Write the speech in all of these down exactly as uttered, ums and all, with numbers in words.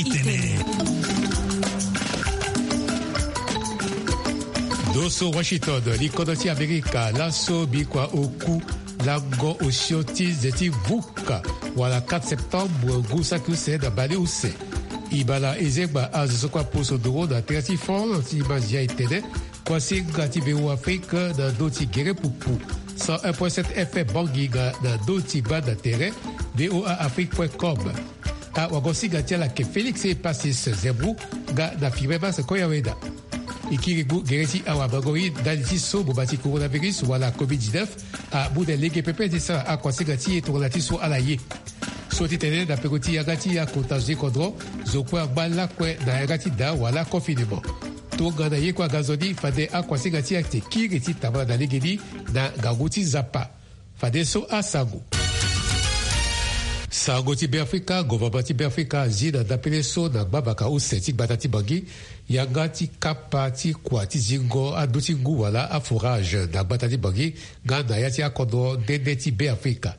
Itene. Ndo so Washington, likodro ti Amerika, laso bikua oku lango osio ti nze ti vuka wala quatre septembre ngu saki use na baleuse. Ibala ezengba azo so kue aposo ndoro na tere ti France ti Mazia etene kuasinga ti V O A Afrique na ndö ti gere pupu cent un point sept F M Bangui nga na ndö ti banda tere V O A Afrique point com. Awagosinga ti ala yeke Félix Epasis Zembou nga na Firmin Mas Koyaweda. E kiri ngu gere ti awamango-iri ndali ti so boma ti coronavirus wala covid dix-neuf amu na lege pepe ti sara akuasinga ti e tongana ti so ala ye. So ti tene na peko ti yanga ti akota zo ti kodro, zo kue angba lakue na yanga ti da wala confinement. Tongana ye kue aga nzoni fade akuasinga ti e ayeke kiri ti tambala na legeni na ngangu ti Nzapa. Fadeso asango. Sango ti Beafrika, gouvernement ti Beafrika azi na ndapele so na gbavaka use ti gbata ti Bangui, yanga ti kapa ti kua ti zingo andu ti ngu wala afourage na gbata ti Bangui nga na ya ti akodro nde nde ti Beafrika.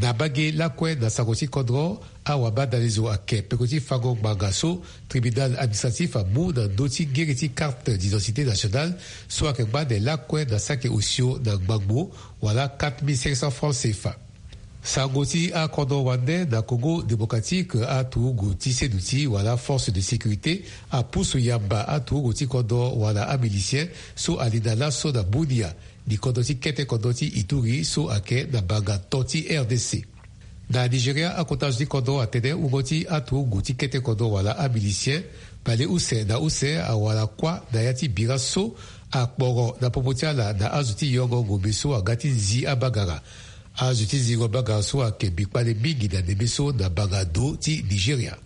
Na mbage lakue na sango ti kodro, awabadalezo ayeke peko ti fango ngbanga so tribunal administratif amu na ndö ti ngiri ti carte d'identité nationale so ayeke ngba ande lakue na saki osio na ngbangbo wala quatre mille cinq cents francs C F A. Sango ti akodro wande na Congo démocratique, aturugu ti seduti wala force de sécurité apusu yamba aturugu ti kodro wala amilicien so ali na laso na Bunia, likodro ti kete kodro ti Ituri so ayeke na banga to ti R D C. Na Nigeria, akota zo ti kodro atene wungo ti aturugu ti kete kodro wala amilicien baleuse na use awara kuâ na ya ti bira so akporo na popo ti ala na azo ti yongo ngombe so aga ti zi abagara. Azo ti zingo bagara so ayeke mbi kpale mingi na ndembe so na banga do ti Nigeria.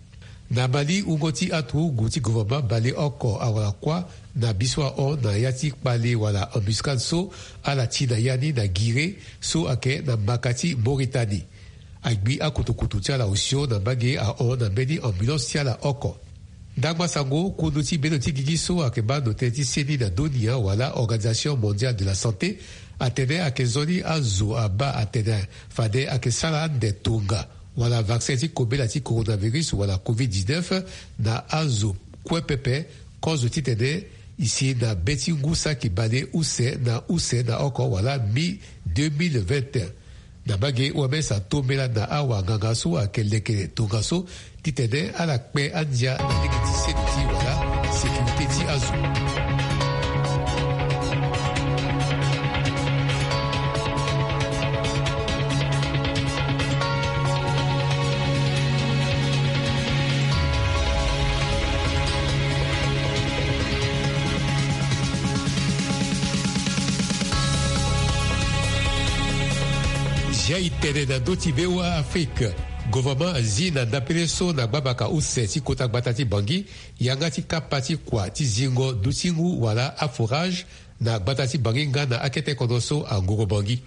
Na Mali, wungo ti aturugu ti gouvernement baleoko awara kuâ na bi so ahon na ya ti kpale wala embuscade so ala ti na ya ni na Guiré so ayeke na maka ti Mauritanie. Agbi akutukutu ti ala osio na mbage ahon na mbeni ambulance ti ala oko. Ndangba sango, kundu ti bendo ti gigi so ayeke baa ndo tënë ti seni na dunia wala Organisation Mondiale de la Santé atene ayeke nzoni azo abaa atene fade ayeke sara ande tonga wala vaccin ti kobela ti coronavirus wala covid dix-neuf na azo kue pepe, kozo titene e si na be ti ngu saki baleuse na use na oko wala mi deux mille vingt et un. Na mbage, O M S atombela na awanganga so ayeke leke tongaso titene ala kpe andia na lege ti seni ti wala sécurité ti azo. Zia e tene na ndö ti V O A Afrique. Gouvernement azi na ndapele so na gbabaka use ti kota gbata ti Bangui yanga ti kapa ti kua ti zingo ndutingu wala afourage na gbata ti Bangui nga na akete kodro so angoro Bangui.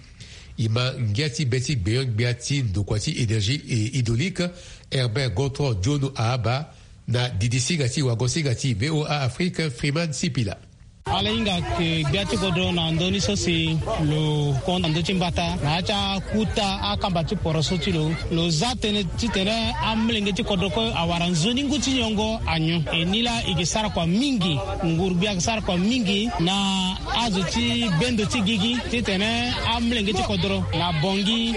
E ma ngia ti be ti gbenyo-gbia ti ndokua ti énergie et hydraulique, Herbert Gontran Diono Ahaba, na didisinga ti wagosinga ti V O A Afrique, Freeman Sipila. Ala hinga ke gbia ti kodro na ndö ni so si lo hon na ndö ti mbata na ya ti akuta akamba ti poroso ti lo. Lo za tënë titene amolenge ti kodro kue awara nzoni ngu ti nyongo anyon. E ni laa e ke sara kua mingi, nguru-gbia ayeke sara kua mingi na azo ti bendo ti gigi titene amolenge ti kodro na Bangui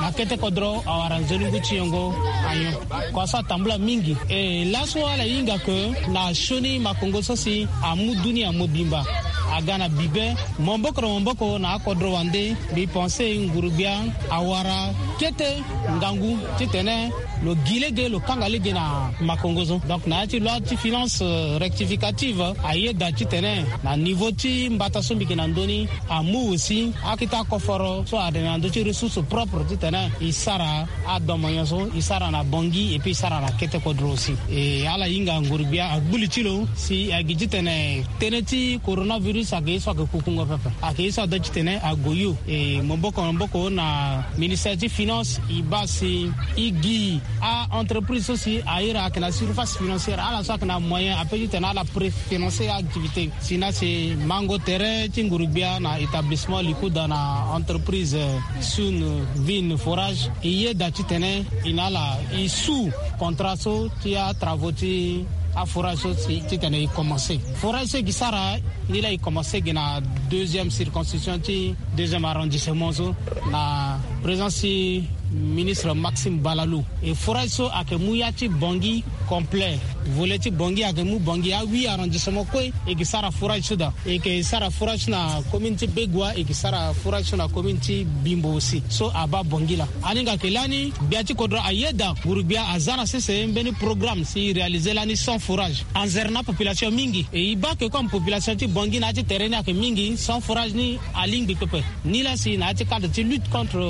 na kete kodro awara nzoni ngu ti nyongo anyon. Kua so atambula mingi. E laso ala hinga ke na sioni makongo so si amu dunia mobimba aga na bibe, maboko na maboko na akodro wande. Mbi pense nguru-gbia awara kete ngangu titene lo gi lege, lo kanga lege na makongo so. Donc na ya ti loi ti finance, euh, rectificative, ayeda titene na niveau ti mbata so mbi yeke na ndö ni, amu aussi akete akoforo so atene na ndö ti ressource propre titene e sara adomo nyon so e sara na Bangui et puis e sara na kete kodro aussi. E ala hinga nguru-gbia agbu li ti lo si agi titene tënë ti coronavirus ayeke ye so ayeke kukungo pepe, ayeke ye so ada titene ague yo. E maboko na maboko na ministère ti finance Finance e baa si e gi a-entreprise so si a iri ayeke na surface financière, ala so ayeke na moyen ape titene ala préfinancer activité. Si na si mango terrain ti nguru-gbia na établissement Likuda na entreprise Sun Vin Forage, e yeda titene e na ala e su contrat so ti atravaux ti aforage so titene e commencer. Forage so e gi sara ni laa e commencer gi na deuxième circonscription ti deuxième arrondissement so, na présence ti ministre Maxime Balalou. E forage so ayeke mu ya ti Bangui complet. Volet ti Bangui ayeke mu Bangui a huit arrondissement kue. E gi sara forage so daa. E yeke sara forage so na commune ti Begoua, e gi sara forage so na commune ti Bimbo aussi. So abaa Bangui laa. Aninga ayeke lani gbia ti kodro ayeda nguru-gbia aza na sese mbeni programme si e réaliser lani cent forage. Anzere na apopulation mingi. E e baa ke comme population ti Bangui na ya ti terrain ni ayeke mingi, cent forage ni alingbi pepe. Ni laa si na ya ti cadre ti lutte contre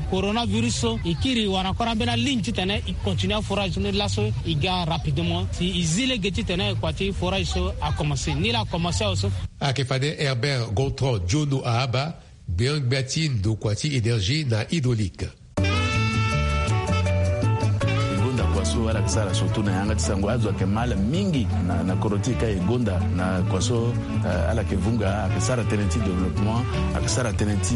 coronavirus so, e kiri wara encore ambeni aligne titene e continue aforage so ni laso e ga rapidement si e zi lege titene kua ti forage so akomanse. Ni laa akomanse awe so. Ayeke fade Herbert Gontran Diono Ahaba, gbeon-gbia ti ndokua ti énergie na hydraulique. E gonda kua so ala yeke sara surtout na yanga ti sango, azo ayeke ma ala mingi na, na kodro ti e ka e gonda na kua so, eh, ala yeke vunga, ayeke sara tënë ti développement, ayeke sara tënë ti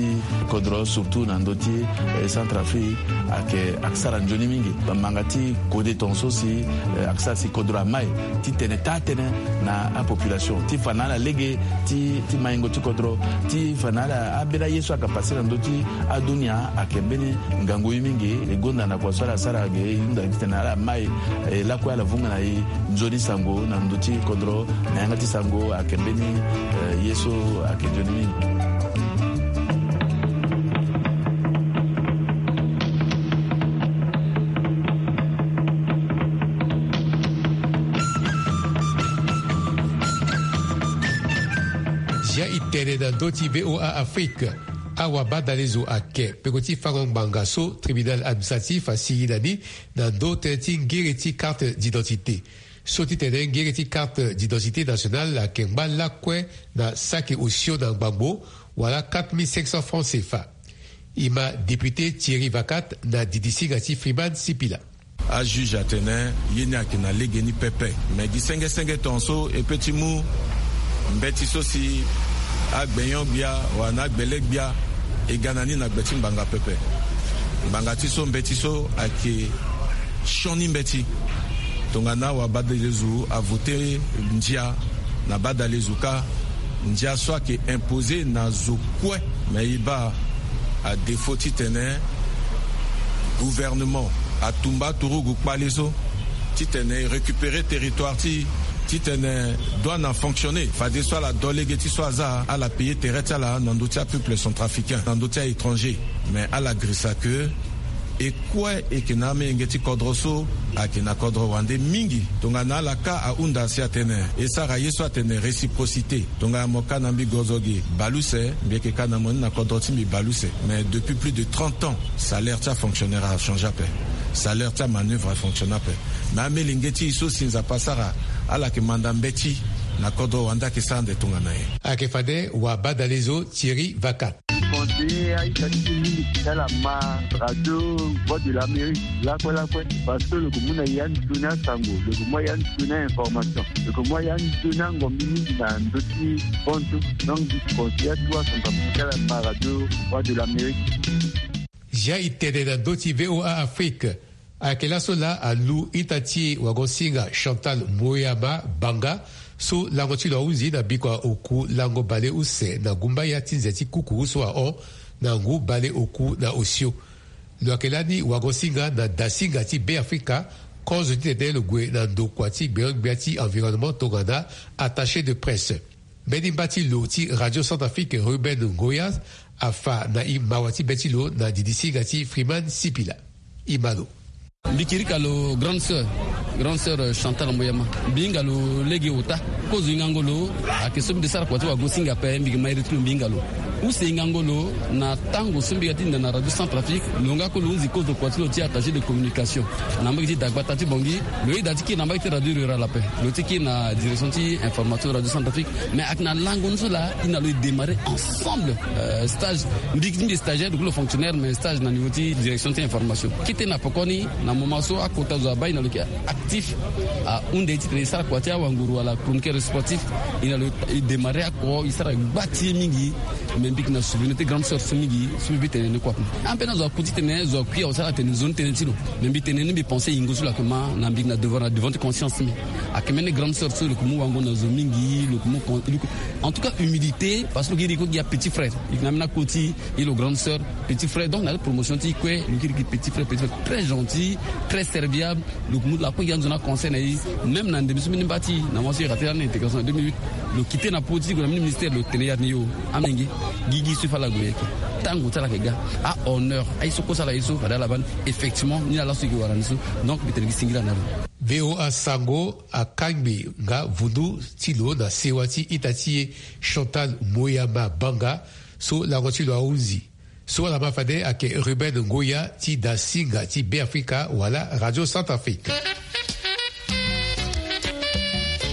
kodro surtout na ndö ti, eh, Centrafrique, ayeke, ayeke sara nzoni mingi. Manga ti kode tongaso si, eh, ayeke sara si kodro amai titene taa tënë na apopulation ti fa na ala lege ti, ti maingo ti kodro, ti fa na ala ambeni aye so ayeke pase na ndö ti adunia ayeke mbeni ngangu ye mingi. E gonda na kua so ala sara ge e hunda titene ala mai, eh, lakue ala vunga na e nzoni sango na ndö ti kodro na yanga ti sango ayeke mbeni, eh, ye so ayeke nzoni mingi. Zia e tene na ndö ti V O A Afrique. Awabadalezo ayeke peko ti fango ngbanga so tribunal administratif asigi na ni na ndö tënë ti ngere ti carte d'identité. So ti tene ngere ti carte d'identité nationale ayeke ngba lakue na saki osio na ngbangbo, wala quatre mille cinq cents francs C F A. E ma député Thierry Vacat na didisinga ti Freeman Sipila. Ajuge atene ye ni ayeke na lege ni pepe. Me gi senge senge tongaso e pe ti mu mbeti so si agbenyo-gbia wala na agbele-gbia e ga na ni na gbe ti ngbanga pepe. Ngbanga ti so mbeti so ayeke sioni mbeti. Tongana awabadalezo avote ndia na badalezo kâ, ndia so ayeke imposer na zo kue. Me e baa à défaut titene gouvernement atumba aturugu kpale so titene e récupérer territoire ti e, titene douane afonctionner, fadeso ala do lege ti so aza, ala payer tere ti ala na ndö ti apeuple centrafricain, na ndö ti a-étranger. Me ala girisa ke e kue e yeke na amolenge ti kodro so ayeke na kodro wande mingi. Tongana ala kâ ahunda si atene e sara ye so atene réciprocité. Tongana mo kâ na mbi gozo ge bale use, mbi yeke kâ na mo ni na kodro ti mbi bale use. Mais depuis plus de trente ans, salaire ti afonctionnaire achangé ape. Salaire ti amanœuvre afonctionne ape. Na amolenge ti e so si Nzapa asara ala yeke manda mbeti na kodro wande ayeke sara ande tongana nyen? Ayeke fade wabadalezo Thierry Vacat. Conseiller aita ti mingi ti ala ma radio Voix de l'Amérique lakue lakue, parce que lo yeke mu na ya nzoni asango, lo yeke mu ya nzoni a-information, lo yeke mu ya nzoni angombi mingi na ndö ti bantu. Donc mbi conseiller atu asango ti ala ma radio Voix de l'Amérique. Zia e tene na ndö ti V O A Afrique. Ayeke laso laa alu ita ti e wagosinga Chantal Moyama Banga, so lango ti lo ahunzi na bikua oku lango bale use na gumbaya ti nze ti kuku so ahon na ngu bale oku na osio. Lo yeke lani wagosinga na dasinga ti Beafrika, kozo titene lo gue na ndokua ti gbeon-gbia ti environnement tongana attaché de presse. Mbeni mba ti lo ti Radio Centrafrique Ruben Ngoya afa na e mawa ti be ti lo na didisinga ti Freeman Sipila. E ma lo. Mbi kirika lo grande sœur, grande sœur, euh, Chantal Moyama. Mbi hinga lo lege ota. Kozo hingango lo ayeke so mbi de sara kua ti wagosinga ape, mbi yeke ma iri ti lo mbi hinga lo. Use hingango lo na tango so mbi ga ti hinda na Radio Centrafrique, lo nga kue lo hunzi kozo kua ti lo ti attaché de communication na mbage ti dagbata ti Bangui. Lo yeda ti kiri na mbage ti radio rurale ape. Lo ti kiri na direction ti information Radio Centrafrique. Mais ayeke na lango ni so laa, e na lo e démarrer ensemble, euh, stage. Mbi ti mbi stagiaire, donc lo fonctionnaire, mais stage na niveau ti direction ti information. Kete na pokoni, na moment so akota zo abaa, e na lo yeke actif. Ahunde ye titene e sara kua ti awanguru wala chroniqueur sportif. E na lo e démarrer oko, e sara gba ti ye mingi. Mais mbi yeke na souvenir ti grande sœur so mingi so mbi tene ni kua. Ape na zo aku titene zo akui awe sara atene nzoni tënë ti lo. Mais mbi tene ni, mbi pensé yingo so lo yeke ma na mbi yeke na devant, na devant ti conscience ti mbi. Ayeke mbeni grande sœur so lo yeke mu wango na zo mingi, lo yeke mu con-, lo yeke, en tout cas humilité, parce que lo yeke iri kue gi apetit frère. E yeke na ambeni akoti e lo grande sœur, petit frère. Donc na promotion ti e kue, lo yeke iri gi petit frère, petit frère très gentil, très serviable. Lo yeke mu lakue gi anzo na conseil na e. Même na ndembe so mbeni mba ti e na mois so e raté lani intégration na deux mille huit, lo quitté na politique, lo na mbeni ministère, lo tene ya ni yo. Amenge, gigi so e fa ala gue yeke. Tango ti ala yeke ga. Ahonneur aye so kue so ala ye so fade ala baa ni. Effectivement ni ala so e yeke wara ni so. Donc mbi tene gi singila na lo. V O A Sango akangbi nga vundu ti lo na sewa ti ita ti e Chantal Moyama Banga, so lango ti lo ahunzi. So ala ma fade ayeke Ruben Ngoya ti Dasinga ti Beafrika wala Radio Centrafrique.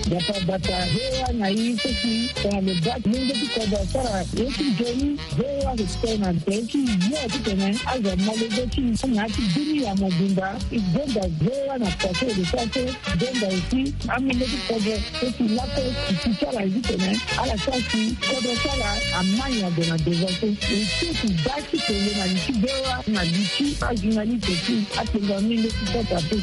Gbata gbata, V O A na e so si tongana lo baa ti mungo ti kodro asara ye ti nzoni, V O A ayeke tene na tere ti yo titene azo amolenge ti e na ya ti dunia mobimba. E gonda V O A na kua so e lo sara so, e gonda aussi amolenge ti kodro so si lakue e ti ti ala titene ala sara si kodro ti ala amai ado na devant so. E ti e ti baa ti tene na li ti V O A na li ti ajournaliste ti apenga mingi ti kota pe.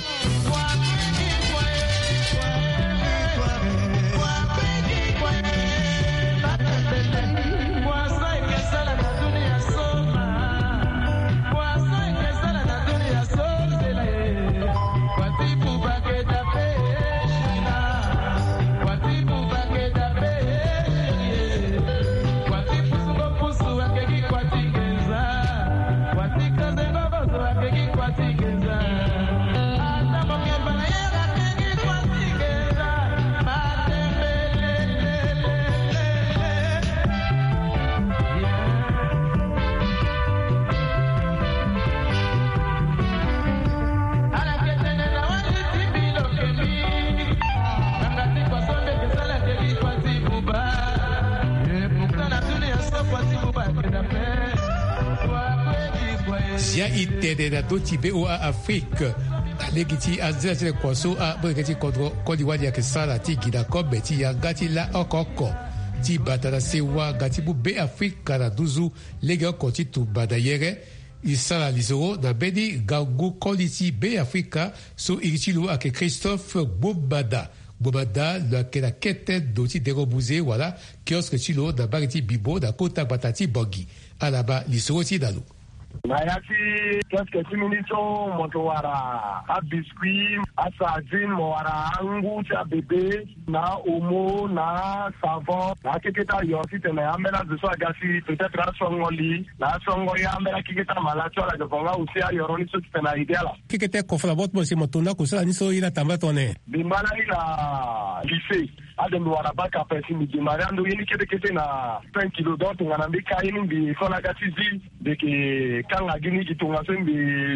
Zia e tene na ndö ti V O A Afrique. Na lege ti anzela ti le kua so amolenge ti kodro koli wali ayeke sara ti gi na kobe ti yanga ti la oko oko ti bata na sewa nga ti mu Beafrika na nduzu legeoko ti tumba na yere. E sara lisoro na mbeni ngangu koli ti Beafrika so iri ti lo ayeke Christophe Gbomada. Gbomada lo ayeke na kete ndo ti dengo buze wala kiosque ti lo na mbage ti Bibo na kota gbata ti Bangui. Ala baa lisoro ti e na lo. Na ya ti kiosque ti mbi ni so mo yeke wara abiscuit, asardine, mo wara angu ti abebe, na omo, na savon, na akekete ayo titene ambeni azo so aga si peut-être asongo li, na asongo ye ambeni akekete amalade so ala yeke vo nga aussi ayoro ni so titene a aidé ala. Kekete kofo na bo ti mo si mo to ndako so ala ni so ye ni atambula tongana nyen? Mbi ma lani na lycée. Ade mbi wara bac ape si mbi démarrer ando ye ni kete kete na cinq kilos. Donc tongana mbi ka ye ni mbi école aga ti zi, mbi yeke kanga gi ni gi tongaso mbi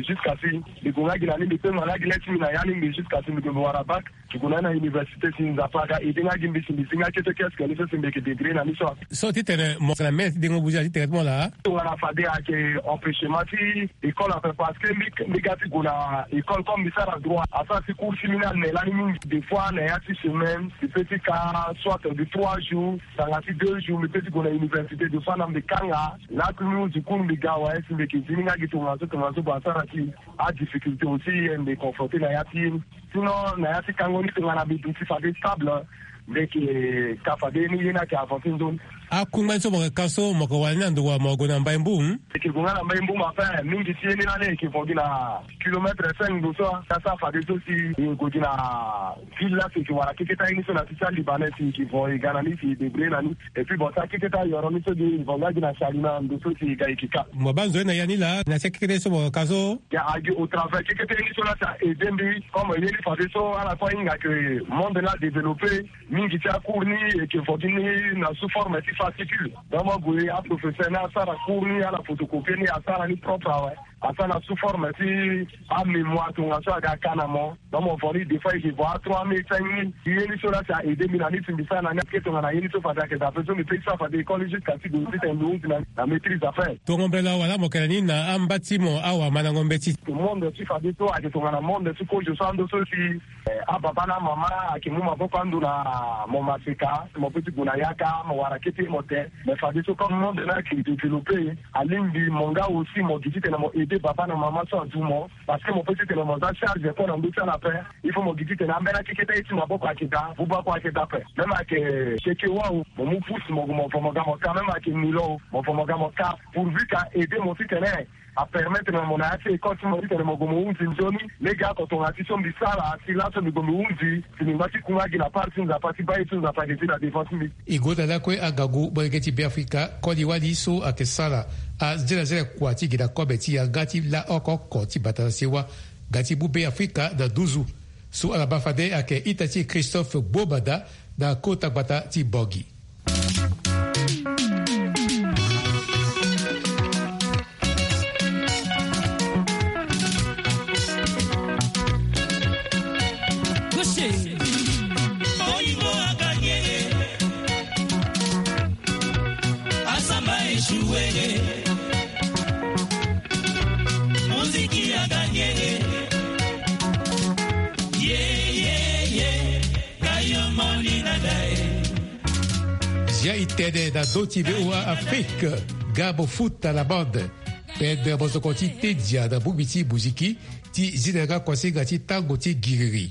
jusqu'à si mbi gue nga gi na ni mbi pengba nga gi le ti mbi na ya ni mbi jusqu'à si mbi gue mbi wara bac. Mbi gue na ni na université si Nzapa aga aidé nga gi mbi si mbi zi nga kete kiosque ni so si mbi yeke débrouiller na ni so. So titene mo yeke na mene ti dengo buze titene ti mo laa? Tongana fade ayeke empêchement ti école ape parce que mbi, mbi ga ti gue na école comme mbi sara droit asara si cours ti mbi ni ane lani mingi. Des fois na ya ti semaine mbi peut ti ka soit de trois jours tanga ti deux jours mbi peut ti gue na université. Des fois na mbi kanga lakui mbi hunzi cours mbi ga awe si mbi yeke zi ni nga gi tongaso tongaso bon asara si adifficulté aussi mbi confronté na ya ti ye ni. Sinon na ya ti kango ni tongana mbi duti fade stable mbi yeke ka fade ye ni ye ni ayeke avancé nzoni. Akungba ni so mo yeke ka so mo yeke wara ni na ndo wa mo gue na Mbaye Mboum? Eke gue nga na Mbaye Mboum, enfin mingi ti ye ni lani eke vo gi na kilomètre cinq ndo so. Asa fadeso si e gue gi na ville la si eke wara keketa ye ni so na ti ti alibanais si eke vo e ga na ni si e débrouiller na ni. Et puis bon sa keketa yoro ni so gi e vo nga gi na Salima ndo so si e ga eke ka. Mo baa nzoni na ya ni laa na ti akeketa ye so mo ka so? Ya agi au travers keketa ye ni so la si a aidé mbi comme ye ni fadeso ala kue ahinga ke monde la développé. Mingi ti acours ni eke vo gi ni na sous forme ti Fascicule. Donc mo gue, aprofesseur ni asara cours ni, ala photocopie ni, asara ni propre awe. Asara na sous forme ti amémoire, tongaso aga ka na mo. Donc mo vo ni des fois eke vo a trois mille, cinq mille. Ye ni so la si a aidé mbi na ni si mbi sara na ni ake tongana ye ni so fade ake daa ape so mbi pe ti sara fade école jusqu'à ti gue ti tene mbi hunzi na, na maîtrise d'affaires. Tongo mbela wala mo kele ni na amba ti mo awa mandango mbeti. Monde ti fade so ake tongana monde ti kozo so ando so si Eh, ababa na amama ayeke mu maboko ando na mo maseka, mo pe ti gue na yaka, mo wara kete mo te. Mais fadeso comme monde ni ayeke développé, alingbi mo nga aussi mo gi titene mo aider baba na mama so adu mo. Parce que mo pe titene mo za charge kue na ndö ti ala ape. Il faut mo gi titene ambeni akeketa ye ti maboko ayeke daa, buba kue ayeke daa ape. Même ayeke seke wau, mo mu pousse mo gue mo vo mo ga mo ka. Même ayeke nilo, mo vo mo ga mo ka. Pourvu que a aider mo titene a permettre na mo na ya ti école ti mo titene mo gue mo hunzi nzoni. Lege oko tongana ti so mbi sara si laso mbi gue mbi hunzi, si mbi ngba ti kunga gi na part ti Nzapa ti baa ye ti Nzapa ayeke zi na devant ti mbi. E gonda lakue angangu molenge ti Beafrika, koli wali so ayeke sara azelazela kua ti gi na kobe ti yanga ti la oko oko ti bata na sewa, ga ti mu Beafrika na nduzu. So ala baa fade ayeke ita ti Christophe Gbobada na kota gbata ti Bangui. Zia e tene na ndö ti V O A Afrique, ga mo futa na bande. Pede mozoko ti tedia na bongbi ti muziki ti zi na yanga kuasinga ti tango ti giriri.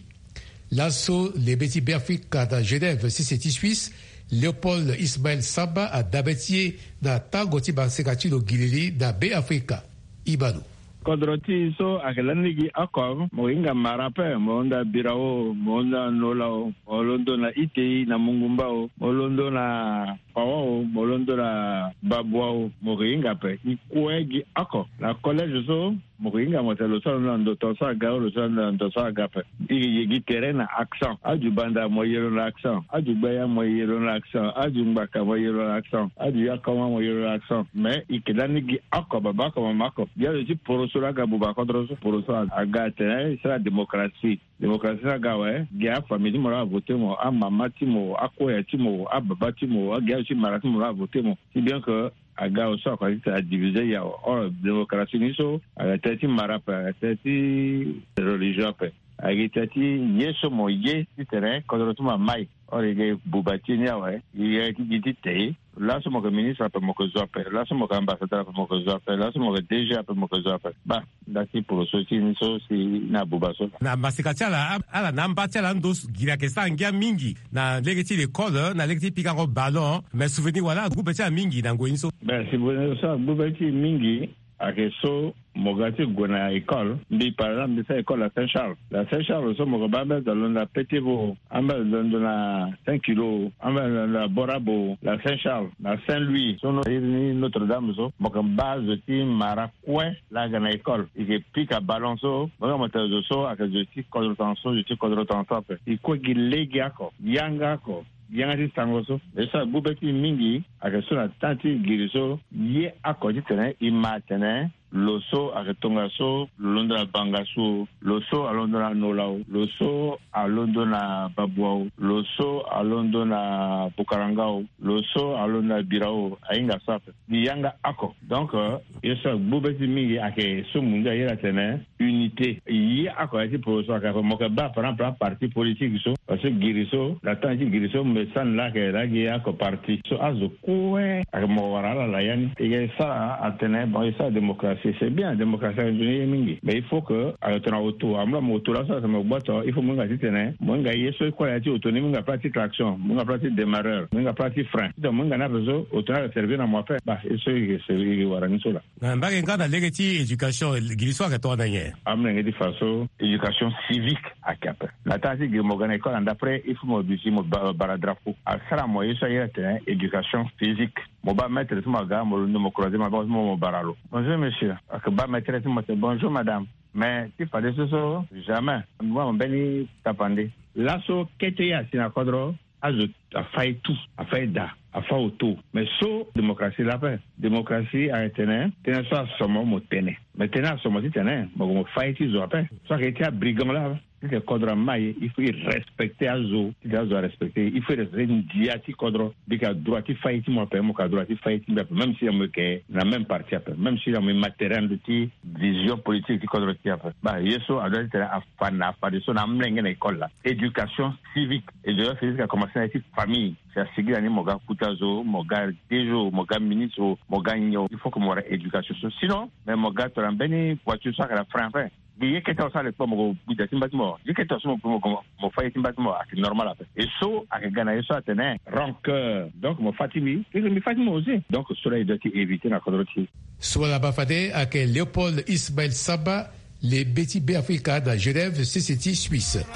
Laso lebe ti Beafrika na Genève, sese ti Suisse, Léopold Ismaël Samba adabe ti e na tango ti maseka ti lo giriri na Beafrika. Ibalo. Kodro ti e so ayeke lani gi oko, mo hinga mara ape, mo londo na birao, mo londo na nola o, mo londo na itei na mungumba o, mo londo na pawa o, mo londo na babua o, mo yeke hinga ape. E kue gi oko na collège so, mo yeke hinga mo tene lo so alondo na ndo tongaso aga o, lo so alondo na ndo so aga ape. E yeke gi tere na accent. Aju banda mo ye lo na accent. Aju gbaya mo ye lo na accent. Aju ngbaka mo ye lo na accent. Aju yakoma mo ye lo na accent. Mais e yeke lani gi oko, baba oko, mama oko. Gi azo ti poroso laa aga buba kodro so. Poroso aga atene e sara démocratie. Démocratie so aga awe, gi afamille ti mo laa avote mo, amama ti mo, akoya ti mo, ababa ti mo, agi azo ti mara ti mo laa avote mo. Si bien que aga awe so akua ti tene adivise ya awe. Or démocratie ni so ayeke tënë ti mara ape, ayeke tënë ti religion ape, ayeke tënë ti ye so mo ye titene kodro ti mo amai. Or e yeke buba ti e ni awe, e yeke ti gi ti te. Laso mo yeke ministre ape mo yeke zo ape, laso mo yeke ambassadeur ape mo yeke zo ape, laso mo yeke D G ape mo yeke zo ape. Baa nda ti poroso ti e ni so si na buba so. Na maseka ti ala, ala na amba ti ala ando giri ayeke sara ngia mingi na lege ti l'école, na lege ti pikango ballon. Mais souvenir wala agbu be ti ala mingi na ngoi ni so? Ben souvenir so agbu be ti e mingi ayeke so mo ga ti gue na école. Mbi par exemple mbi sara école na Saint Charles. Na Saint Charles so mo yeke baa ambeni zo alondo na Petit Vau, ambeni zo alondo na Saint Kilo, ambeni zo alondo na Borabo, na Saint Charles, na Saint Louis so no iri ni Notre Dame so, mo yeke baa zo ti mara kue laa aga na école. E yeke pika ballon so, mo hinga mo tene zo so ayeke zo ti kodro tongaso, zo ti kodro tongaso ape. E kue gi lege oko, yanga oko, yanga ti sango so. Ye so agbu be ti e mingi ayeke so na temps ti giri so, ye oko titene e ma atene lo so ayeke tongaso, lo londo na bangasu o, lo so alondo na nola o, lo so alondo na babua o, lo so alondo na bukaranga o, lo so alondo na birao o, ahinga so ape. Mbi yanga oko. Donc euh, ye so agbu be ti e mingi ayeke so mo ndia iri atene unité. Ye oko ya ti poroso ayeke ape, mo yeke baa par exemple aparti politique so, parce que giri so, na temps ti giri so mbi sani laa ayeke laa gi oko parti so azo kue ayeke mo wara ala na ya ni. E yeke sara atene bon e sara démocratie, c'est bien, démocratie ayeke nzoni ye mingi, mais il faut que ayeke tongana auto, amu laa mo auto laso atene mo gboto, il faut mo hinga titene mo hinga ye so e kue na ya ti auto ni, mo hinga plat ti klaxon, mo hinga plat ti démarreur, mo hinga plat ti frein, titene mo hinga ni ape so auto ni ayeke servir na mo ape. Baa ye so e yeke wara ni so laa. Na mbage nga na lege ti éducation, giri so ayeke tongana nyen? Amolenge ti fa so éducation civique ayeke ape. Na temps ti giri mo ga na école na ndapre, il faut mo duti mo ba-, bara drapeau. Asara mo ye so aye atene éducation physique. Mo baa maître ti mo aga, mo londo mo croiser maboko ti mo, mo bara lo. Bonjour monsieur. Ayeke baa maître ti mo tene bonjour madame. Mais ti fadeso so jamais mo baa mo mbeni tapande. Laso kete ye asi na kodro, azo afai tout, afai daa. afa oto. Mais so démocratie la ape. Démocratie ayeke tene tënë so asomo mo tene. Mais tënë asomo titene mo gue mo fa ye ti zo ape. So ayeke ye ti abrigand la, titene kodro ama ye, il faut e respecter azo. Titene azo arespecter, il faut e respecter ndia ti kodro. Mbi yeke na droit ti fa ye ti mo ape, mo yeke na droit ti fa ye ti mbi ape, même si na mo yeke na même parti ape, même si na mo ye matériel ti vision politique ti kodro ti e ape. Ba ye so adoit titene afa na, afadeso na amolenge na école la. Éducation civique. Éducation civique akomanse na ye ti famille. Si asigi na ni, mo ga kuta zo, mo ga dejo, mo ga ministre, mo ga nyon. Il faut que mo wara éducation so. Sinon, mais mo ga tongana mbeni voiture so ayeke na frein ape. Gi ye kete awe so alekpa mo gue gbi da ti mba ti mo. Ye kete awe so mo gue mo gue mo fa ye ti mba ti mo, ayeke normal ape. Et so ayeke ga na ye so atene rancœur. Donc mo fa ti mbi, mbi fa ti mo aussi. Donc so la e doit ti éviter na kodro ti e. So ala baa fade ayeke Léopold Ismaël Samba, le be ti Beafrika na Genève, sese ti Suisse.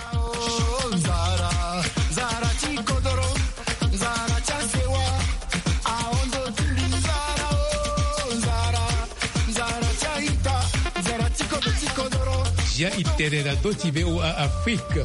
Zia e tene na ndö ti V O A Afrique.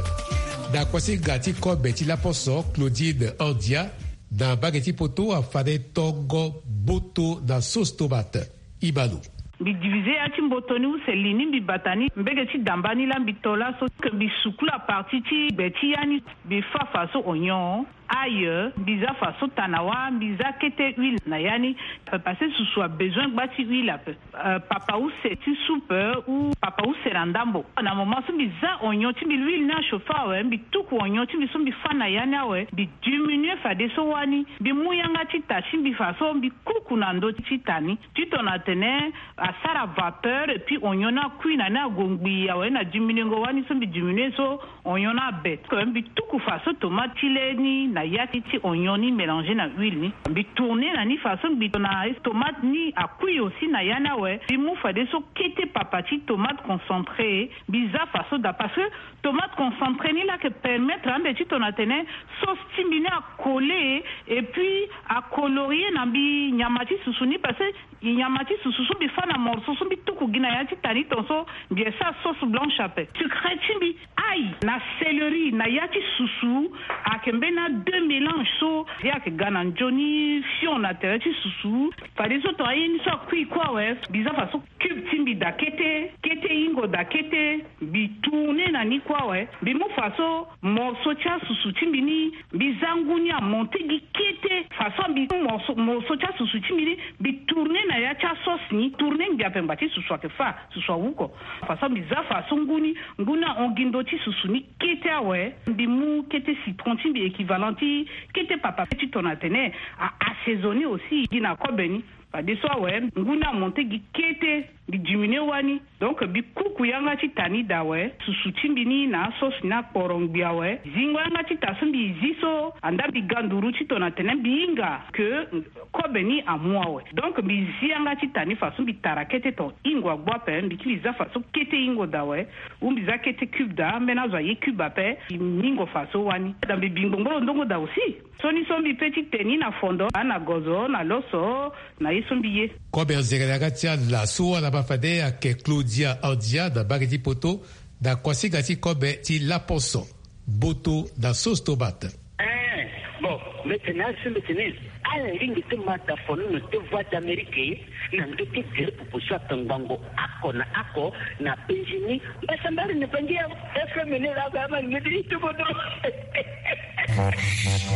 Na kuasinga ti kobe ti laposo, Claudine Andia, na mbage ti poto, afade tongo mboto na sauce tomate. Ibalo. Mbi divize ya ti mboto ni use li ni, mbi bata ni mbege ti damba ni laa mbi to laso, ke mbi sukula parti ti gbe ti ya ni. Mbi fa faso oignon, ail, mbi za faso tanawa, mbi za kete huile na ya ni. Parce que susu abezoin gba ti huile ape. Euh, papa use ti soupe ou papa use na ndambo. Na moment so mbi za oignon ti mbi, l'huile ni achauffe awe, mbi tuku oignon ti mbi so mbi fa na ya ni awe, mbi diminuer fadeso wani, mbi mu yanga ti ta ti mbi faso mbi kuku na ndö ti ta ni. Titene atene asara vapeur et puis oignon ni akui na ni ague ngbii awe, na diminuengo wani so mbi diminuer so oignon ni abe. Mbi tuku faso tomate ti le ni na ya ti, ti oignon ni mélanger na huile ni. Mbi tourner na ni faso mbi tongana tomate ni akui aussi na ya ni awe. Mbi mu fadeso kete papa ti tomate concentré, mbi za faso daa, parce que tomate concentré ni laa ayeke permettre ande titene atene sauce ti mbi ni acoller et puis acolorier na mbi nyama ti susu ni, parce que nyama ti susu so mbi fa na morceau so mbi tuku gi na ya ti ta ni tongaso, mbi yeke sara sauce blanche ape. Secret ti mbi, ail na céleri na ya ti susu ayeke mbeni a deux mélange so, ye ayeke ga na nzoni fion na tere ti susu. Fadeso tongana ye ni so akui kue awe, mbi za faso cube ti mbi daa kete, kete hingo daa kete, mbi tourner na ni kue awe, mbi mu faso morceau ti asusu ti mbi ni, mbi za ngu ni amonter gi kete. Faso mbi mu morceau, morceau ti asusu ti mbi ni, mbi tourner na ya ti asauce ni, tourner ngbia pemba ti susu ayeke fa, susu awuko. Faso mbi za faso ngu ni, ngu ni ahon gi ndö ti susu ni kete awe, mbi mu kete citron ti mbi équivalent ti kete papa titene atene a assaisonner aussi gi na kobe ni. Fadeso awe, ngu ni amonter gi kete, mbi diminuer wani. Donc mbi kuku yanga ti ta ni daa awe, susu ti mbi ni na asauce ni akporo ngbii awe. Zingo yanga ti ta so mbi zi so, andaa mbi ga nduru titene atene mbi hinga ke kobe ni amu awe. Donc mbi zi yanga ti ta ni faso mbi tara kete ton hingo agbu ape, mbi kiri za faso kete hingo daa awe. Ou mbi za kete cube daa, ambeni azo aye cube ape, mbi hingo faso wani. Daa mbi bi ngbongboro ndongo daa aussi. Sioni so mbi pe ti te ni na fondo, na gozo, na loso, na ye so mbi ye. Kobe anzere na yanga ti ala so ala baa fade ayeke Claudia Andia na mbage ti poto, na kuasinga ti kobe ti laposo, mboto na sauce tomate. Eh, bon, mbi tene asi mbi tene, ala lingbi ti ma daa fonono ti Voix d'Amérique na ndö ti gere popo so ayeke ngbongo oko na oko na penzi ni. Mbasambara ni bangi ya F M ni la ga ma ngedi ti kodro.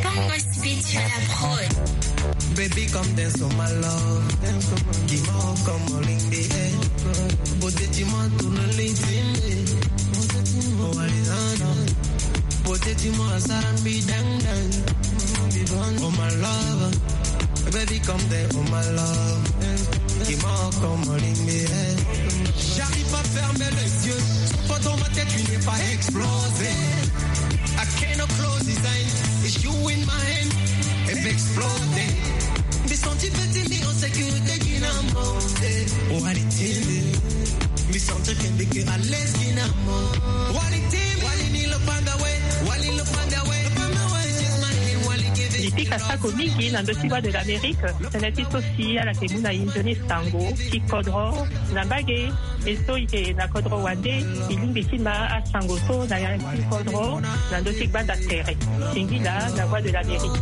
Bongo Speech à la prod. Baby, come dance for my love. Dance for my love. Come on, come on, ling the air. Beauté, dis-moi, tourne ling ting. Oh, allez, non, non. Beauté, dis-moi, ça me dang, dang. Oh, my love. Baby, come there, oh, my love. Dis-moi, come on, ling the air. J'arrive pas à fermer les yeux. Toi, dans ma tête, tu n'es pas explosé. I cannot close this eye. It's you in my hand. It exploded. Mbi senti petit, mbi en sécurité, Dinamo. Oh, allez, télé. Mbi senti que mbi que à l'aise, Dinamo. Wali télé. Wali ni le panda, ouais. Wali le panda, ouais. Le panda, ouais, just my hand, wali give it. Mbi pika sako mingi na ndö ti Voix de l'Amérique. Tënë ti so si ala yeke mu na e nzoni sango ti kodro na mbage. E so e yeke na kodro wande, e lingbi ti ma asango so na ya ti kodro na ndö ti gbanda tere. Singila na Voix de l'Amérique.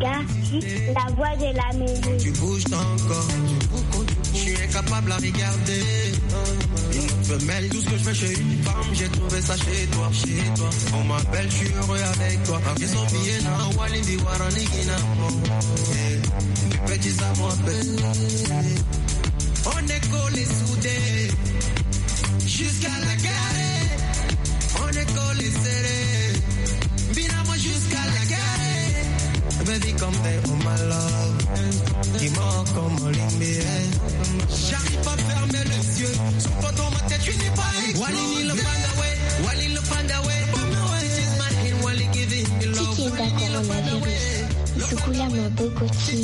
Gars, la voix de l'Amérique. Tu bouges ton corps, tu bouges ton corps. Je suis incapable à regarder. Une femelle, tout ce que je veux, c'est une femme. J'ai trouvé ça chez toi, chez toi. On m'appelle, je suis heureux avec toi. Ils sont bien, na Walindi Waranigina. Eh, petit, ça m'appelle. On est collés, soudés. Jusqu'à la gare, on est collés serrés. Binamo jusqu'à la gare. Baby, come there, oh my love. Dis-moi comment l'aimer. J'arrive pas à fermer les yeux. Sur photo, ma tête, tu n'es pas. Walini le Panda, ouais. Walini le Panda, ouais. This is my hand, Wali giving me love. Ti ti eda coronavirus. I sukula maboko ti.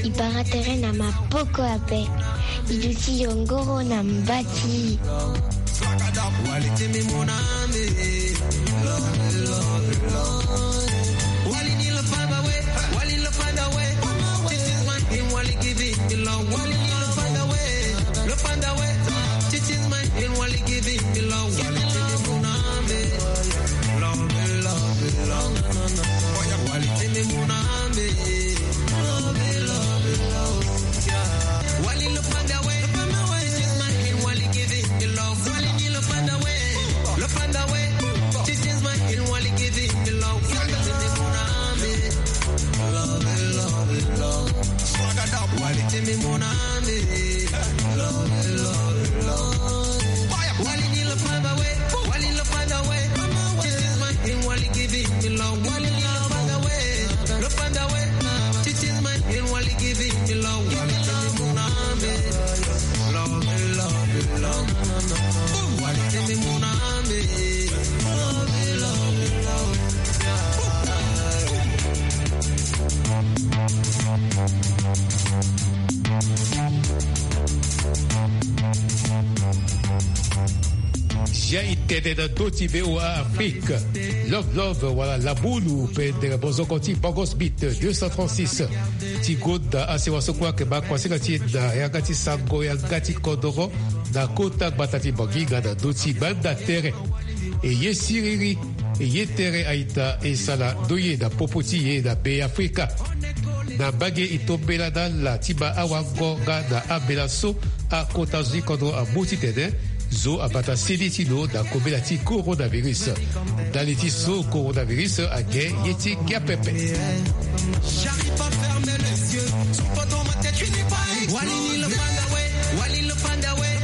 I bara tere na maboko ape. I duti yongoro na mbati. Wali look on the way, look on the way, look on the way. This is my hand, Wali giving me love. Wali give me more than me. Love, love, love. Swagger up, Wali give me more than me. Love, love, love. Wali need look on the way, Wali look on the way. This is my hand, Wali giving me love. Wali need look on the way, look on the way. This is my hand, Wali giving me love. Wali give me more than me. Love, love, love. Wali give me more than me. Love, love, love. Zia i tene na ndö ti V O A Afrique. Love Love wala Labulu, pendere bozoko ti Bongos Beat deux cent trente-six. Ti gonda asewa so kue ayeke baa kuasinga ti e na yanga ti sango yanga ti kodoro na kota gbata ti Bangui nga na ndö ti gbanda tere. E ye siriri, e ye tere a-ita e sara ndoye na popo ti e na Beafrika. Na mbage e tombela na ala ti baa awango nga na ambela so akota zo ti kodro amu titene zo abata seni ti lo na kobela ti coronavirus. Ndali ti so coronavirus ake ye ti ngia pepe. J'arrive pas à fermer les yeux. Sur photo, ma tête, tu n'es pas. Wali ni le panda, ouais. Wali le panda, ouais.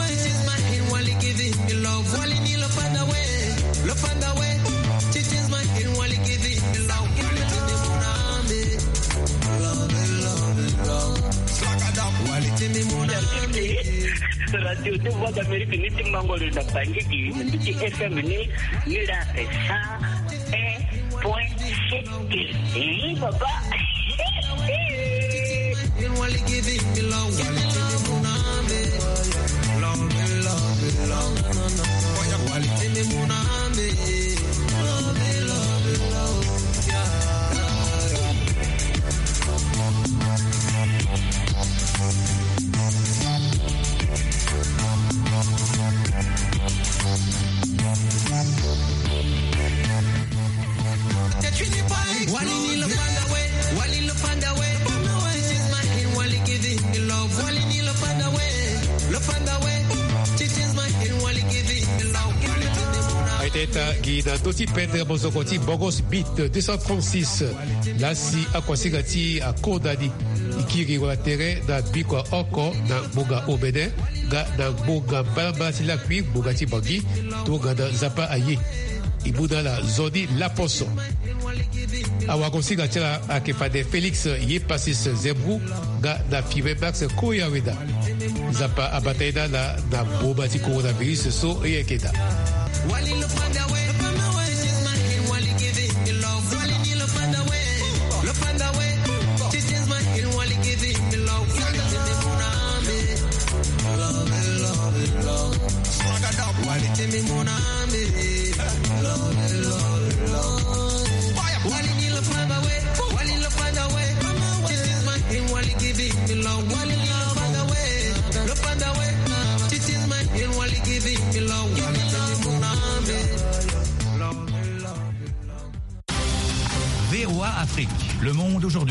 This is my hand, Wali giving me love. Wali ni le panda, ouais. Le panda, ouais. This is my hand, Wali giving me love. Wali ni le panda, ouais. Love, love, love. Swagger up, Wali give me more than me. Radio de Voix d'Amérique, ni ti Mangoro na Bangui, ni ti F M ni, ni la sa. Un point sept. Oui, papa. Aita gi na ndö ti pendre mozoko ti Bongos Beat deux cent trente-six. Lasi akuasinga ti akodani. E kiri wala tere na biko oko na ngbonga omene nga na ngbonga mbalambala ti lakui ngbonga ti Bangui tongana Nzapa aye. E mu na ala nzoni laposo. Awagosinga ti ala ayeke fade Félix Yepasis Zembrou nga na Fibe Max Koyaweda. Nzapa abata ye na ala na mboma ti coronavirus so e yeke daa. V O A Afrique, le monde aujourd'hui.